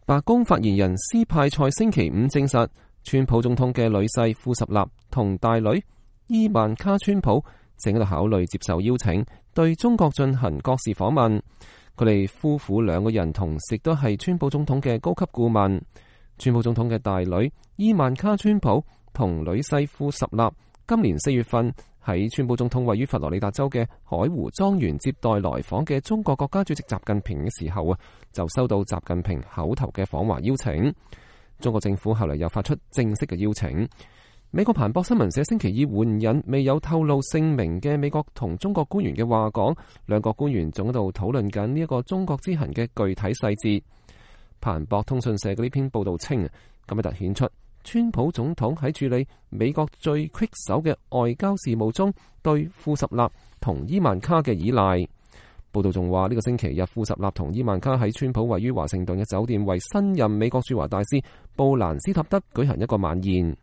白宮發言人斯派塞星期五證實，川普總統嘅女婿庫什納同大女伊萬卡川普正喺度考慮接受邀請，對中國進行國事訪問。佢哋夫婦兩個人同時都係川普總統嘅高級顧問。川普總統嘅大女伊萬卡川普同女婿庫什納今年4月份喺川普總統位於佛羅里達州嘅海湖莊園接待來訪嘅中國國家主席習近平嘅時候就收到習近平口頭嘅訪華邀請。中國政府後嚟又發出正式嘅邀請。美國彭博新聞社星期二援引未有透露姓名嘅美國同中國官員嘅話講，兩個官員仲喺度討論緊呢一個中國之行嘅具體細節。彭博通訊社嘅呢篇報道稱，咁樣凸顯出川普總統喺處理美國最棘手嘅外交事務中對庫什納同伊萬卡嘅依賴。報道仲話呢個星期日，庫什納同伊萬卡喺川普位於華盛頓嘅酒店為新任美國駐華大使布蘭斯塔德舉行一個晚宴。